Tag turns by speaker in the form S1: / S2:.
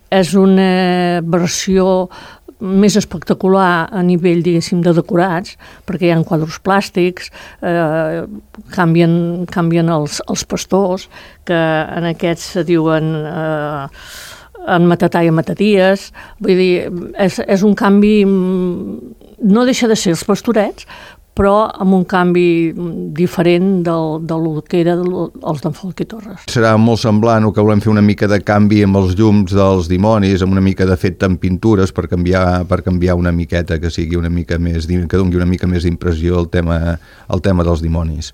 S1: és una versió més espectacular a nivell, diguéssim, de decorats, perquè hi ha quadres plàstics, canvien els pastors, que en aquests se diuen en Matatà i en Mataties. Vull dir, és un canvi, no deixa de ser els pastorets, però amb un canvi diferent del que eren els d'en Folch i Torres.
S2: Serà molt semblant o que volem fer una mica de canvi amb els llums dels dimonis, amb una mica de fet en pintures per canviar una miqueta, que sigui una mica més, que doni una mica més d'impressió al tema dels dimonis.